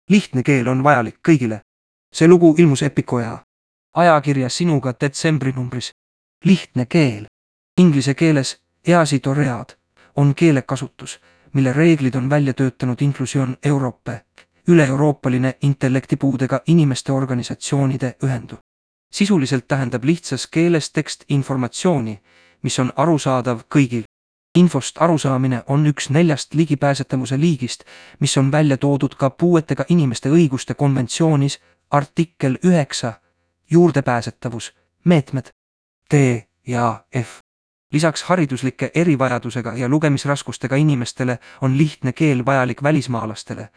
Lihtne keel on vajalik kõigile. See lugu ilmus Epicoja ajakirja Sinuga detsembrinumbris. Lihtne keel. Inglise keeles EASIDOREAD on keelekasutus, mille reeglid on välja töötanud Inclusion Europe, üle-euroopaline intellektipuudega inimeste organisatsioonide ühendu. Sisuliselt tähendab lihtsas keeles tekst informatsiooni, mis on arusaadav kõigil. Infost arusaamine on üks 4 ligipääsetavuse liigist, mis on välja toodud ka puuetega inimeste õiguste konventsioonis artikkel 9, juurdepääsetavus, meetmed, D ja F. Lisaks hariduslike erivajadusega ja lugemisraskustega inimestele on lihtne keel vajalik välismaalastele,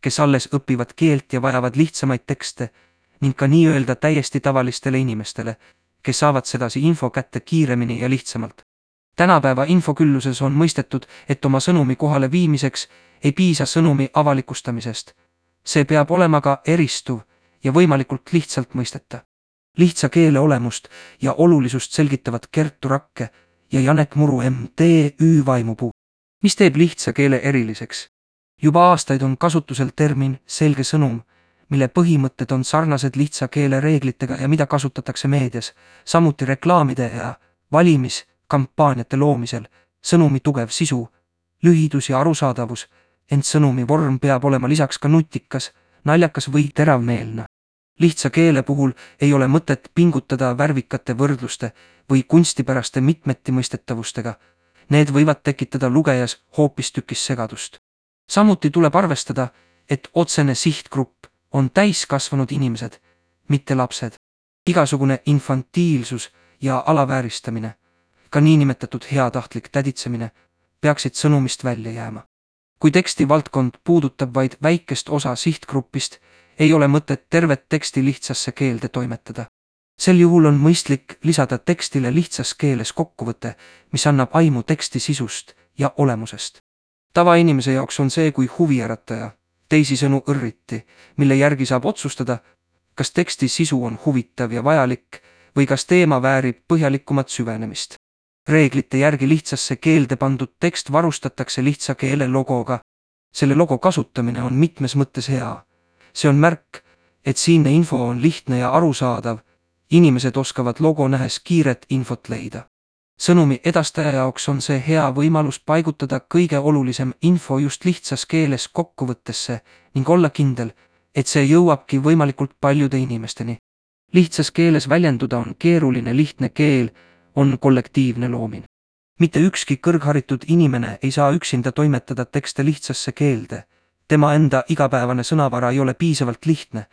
kes alles õpivad keelt ja vajavad lihtsamaid tekste, ning ka nii-öelda täiesti tavalistele inimestele, kes saavad sedasi info kätte kiiremini ja lihtsamalt. Tänapäeva infokülluses on mõistetud, et oma sõnumi kohale viimiseks ei piisa sõnumi avalikustamisest. See peab olema ka eristuv ja võimalikult lihtsalt mõisteta. Lihtsa keele olemust ja olulisust selgitavad Kertu Rakke ja Janek Muru MTÜ Vaimupuu. Mis teeb lihtsa keele eriliseks? Juba aastaid on kasutusel termin selge sõnum, mille põhimõtted on sarnased lihtsa keele reeglitega ja mida kasutatakse meedias, samuti reklaamide ja valimiskampaaniate loomisel, sõnumi tugev sisu, lühidus ja arusaadavus, ent sõnumi vorm peab olema lisaks ka nutikas, naljakas või teravmeelne. Lihtsa keele puhul ei ole mõtet pingutada värvikate võrdluste või kunstipäraste mitmetimõistetavustega. Need võivad tekitada lugejas hoopistükkis segadust. Samuti tuleb arvestada, et otsene sihtgrupp on täiskasvanud inimesed, mitte lapsed. Igasugune infantiilsus ja alavääristamine, ka niinimetatud heatahtlik täditsemine, peaksid sõnumist välja jääma. Kui teksti valdkond puudutab vaid väikest osa sihtgruppist, ei ole mõtet tervet teksti lihtsasse keelde toimetada. Sel juhul on mõistlik lisada tekstile lihtsas keeles kokkuvõte, mis annab aimu teksti sisust ja olemusest. Tavainimese jaoks on see kui huviärataja, teisisõnu õrriti, mille järgi saab otsustada, kas teksti sisu on huvitav ja vajalik või kas teema väärib põhjalikumat süvenemist. Reeglite järgi lihtsasse keelde pandud tekst varustatakse lihtsa keele logoga. Selle logo kasutamine on mitmes mõttes hea. See on märk, et siinne info on lihtne ja arusaadav, inimesed oskavad logo nähes kiiret infot leida. Sõnumi edastaja jaoks on see hea võimalus paigutada kõige olulisem info just lihtsas keeles kokkuvõttesse ning olla kindel, et see jõuabki võimalikult paljude inimesteni. Lihtsas keeles väljenduda on keeruline, lihtne keel on kollektiivne looming. Mitte ükski kõrgharitud inimene ei saa üksinda toimetada tekste lihtsasse keelde. Tema enda igapäevane sõnavara ei ole piisavalt lihtne.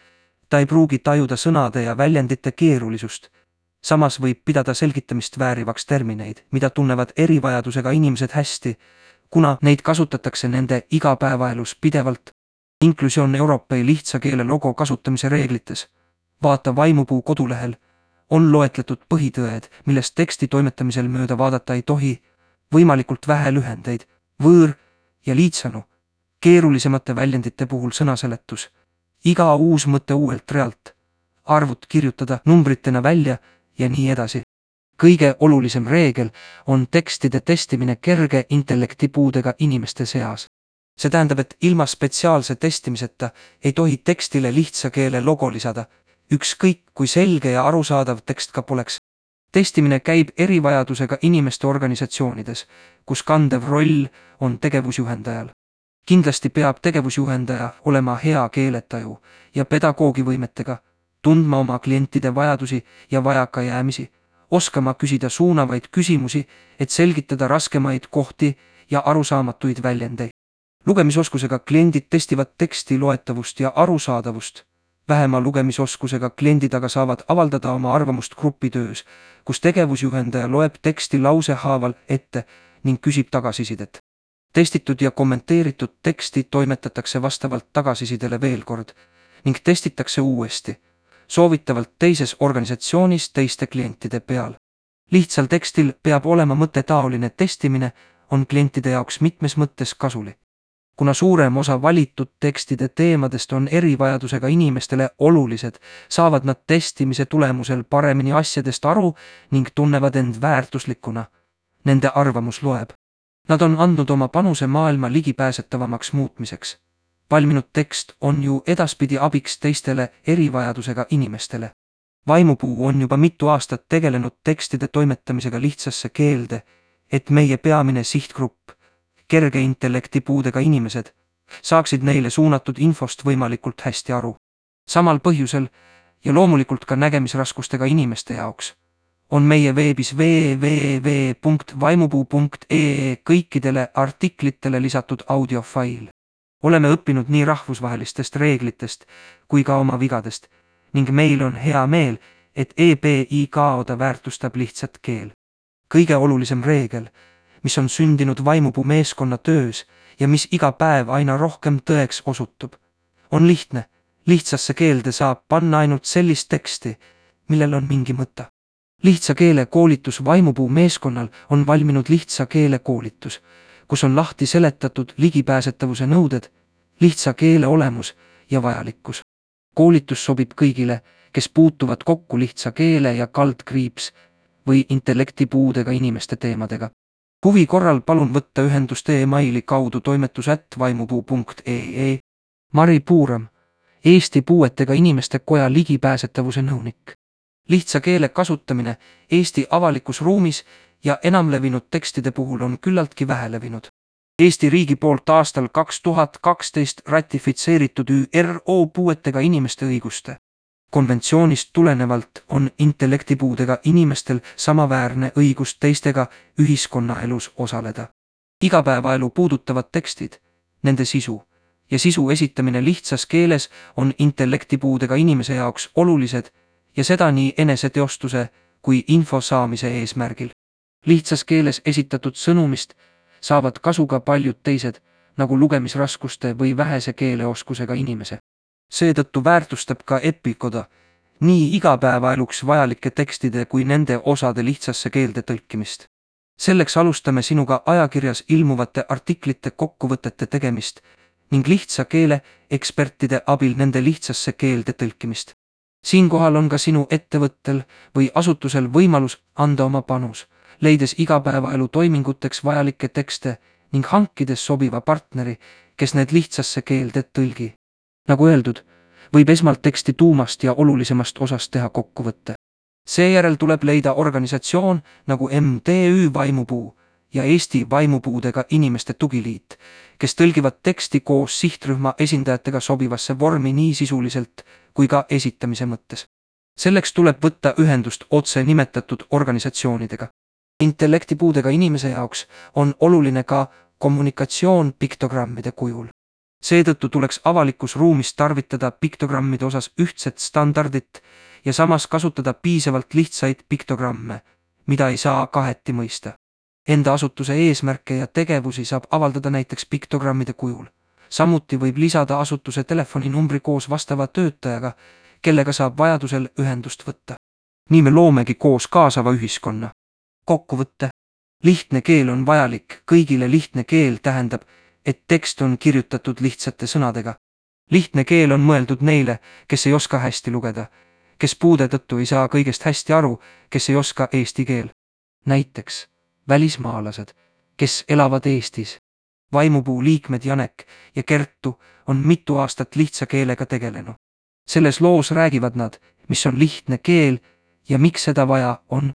Ta ei pruugi tajuda sõnade ja väljendite keerulisust. Samas võib pidada selgitamist väärivaks termineid, mida tunnevad erivajadusega inimesed hästi, kuna neid kasutatakse nende igapäevaelus pidevalt. Inclusion Europe lihtsa keele logo kasutamise reeglites, vaata Vaimupuu kodulehel, on loetletud põhitõed, millest teksti toimetamisel mööda vaadata ei tohi, võimalikult vähe lühendeid, võõr- ja liitsõnu, keerulisemate väljendite puhul sõnaseletus, iga uus mõte uuelt realt, arvud kirjutada numbritena välja ja nii edasi. Kõige olulisem reegel on tekstide testimine kerge intellektipuudega inimeste seas. See tähendab, et ilma spetsiaalse testimiseta ei tohi tekstile lihtsa keele logo lisada, ükskõik kui selge ja arusaadav tekst ka poleks. Testimine käib erivajadusega inimeste organisatsioonides, kus kandev roll on tegevusjuhendajal. Kindlasti peab tegevusjuhendaja olema hea keeletaju ja pedagoogivõimetega, tundma oma klientide vajadusi ja vajakajäämisi, oskama küsida suunavaid küsimusi, et selgitada raskemaid kohti ja arusaamatuid väljendeid. Lugemisoskusega kliendid testivad teksti loetavust ja arusaadavust. Vähema lugemisoskusega kliendid aga saavad avaldada oma arvamust grupitöös, kus tegevusjuhendaja loeb teksti lausehaaval ette ning küsib tagasisidet. Testitud ja kommenteeritud teksti toimetatakse vastavalt tagasisidele veel kord ning testitakse uuesti, soovitavalt teises organisatsioonis teiste klientide peal. Lihtsal tekstil peab olema mõttetaoline testimine, on klientide jaoks mitmes mõttes kasulik. Kuna suurem osa valitud tekstide teemadest on erivajadusega inimestele olulised, saavad nad testimise tulemusel paremini asjadest aru ning tunnevad end väärtuslikuna. Nende arvamus loeb. Nad on andnud oma panuse maailma ligipääsetavamaks muutmiseks. valminud tekst on ju edaspidi abiks teistele erivajadusega inimestele. Vaimupuu on juba mitu aastat tegelenud tekstide toimetamisega lihtsasse keelde, et meie peamine sihtgrupp, kerge intellektipuudega inimesed, saaksid neile suunatud infost võimalikult hästi aru. Samal põhjusel ja loomulikult ka nägemisraskustega inimeste jaoks on meie veebis www.vaimupuu.ee kõikidele artiklitele lisatud audiofail. Oleme õppinud nii rahvusvahelistest reeglitest kui ka oma vigadest ning meil on hea meel, et EPIKOda väärtustab lihtsat keel. Kõige olulisem reegel, mis on sündinud Vaimupuu meeskonna töös ja mis iga päev aina rohkem tõeks osutub, on lihtne. Lihtsasse keelde saab panna ainult sellist teksti, millel on mingi mõte. Lihtsa keele koolitus Vaimupuu meeskonnal on valminud lihtsa keele koolitus, kus on lahti seletatud ligipääsetavuse nõuded, lihtsa keele olemus ja vajalikkus. Koolitus sobib kõigile, kes puutuvad kokku lihtsa keele ja kaldkriips või intellektipuudega inimeste teemadega. Huvi korral palun võtta ühendust e-maili kaudu toimetus@vaimupuu.ee. Mari Puuram, Eesti Puuetega Inimeste Koja ligipääsetavuse nõunik. Lihtsa keele kasutamine Eesti avalikus ruumis ja enamlevinud tekstide puhul on küllaltki vähelevinud. Eesti riigi poolt aastal 2012 ratifitseeritud ÜRO puuetega inimeste õiguste konventsioonist tulenevalt on intellektipuudega inimestel samaväärne õigus teistega ühiskonnaelus osaleda. Igapäevaelu puudutavad tekstid, nende sisu ja sisu esitamine lihtsas keeles on intellektipuudega inimese jaoks olulised ja seda nii eneseteostuse kui info saamise eesmärgil. Lihtsas keeles esitatud sõnumist saavad kasu ka paljud teised, nagu lugemisraskuste või vähese keeleoskusega inimese. Seetõttu väärtustab ka EPIKOda nii igapäevaeluks vajalike tekstide kui nende osade lihtsasse keelde tõlkimist. Selleks alustame sinuga ajakirjas ilmuvate artiklite kokkuvõtete tegemist ning lihtsa keele ekspertide abil nende lihtsasse keelde tõlkimist. Siinkohal on ka sinu ettevõttel või asutusel võimalus anda oma panus, leides igapäevaelu toiminguteks vajalikke tekste ning hankides sobiva partneri, kes need lihtsasse keelde tõlgi. Nagu öeldud, võib esmalt teksti tuumast ja olulisemast osast teha kokkuvõtte. Seejärel tuleb leida organisatsioon nagu MTÜ Vaimupuu ja Eesti Vaimupuudega Inimeste Tugiliit, kes tõlgivad teksti koos sihtrühma esindajatega sobivasse vormi nii sisuliselt kui ka esitamise mõttes. Selleks tuleb võtta ühendust otse nimetatud organisatsioonidega. Intellektipuudega inimese jaoks on oluline ka kommunikatsioon piktogrammide kujul. Seetõttu tuleks avalikus ruumis tarvitada piktogrammide osas ühtset standardit ja samas kasutada piisavalt lihtsaid piktogramme, mida ei saa kaheti mõista. Enda asutuse eesmärke ja tegevusi saab avaldada näiteks piktogrammide kujul. Samuti võib lisada asutuse telefoninumbri koos vastava töötajaga, kellega saab vajadusel ühendust võtta. Nii me loomegi koos kaasava ühiskonna. Kokkuvõtte. Lihtne keel on vajalik, kõigile lihtne keel tähendab, et tekst on kirjutatud lihtsate sõnadega. Lihtne keel on mõeldud neile, kes ei oska hästi lugeda, kes puude tõttu ei saa kõigest hästi aru, kes ei oska eesti keel. Näiteks välismaalased, kes elavad Eestis. Vaimupuu liikmed Janek ja Kertu on mitu aastat lihtsa keelega tegelenud. Selles loos räägivad nad, mis on lihtne keel ja miks seda vaja on.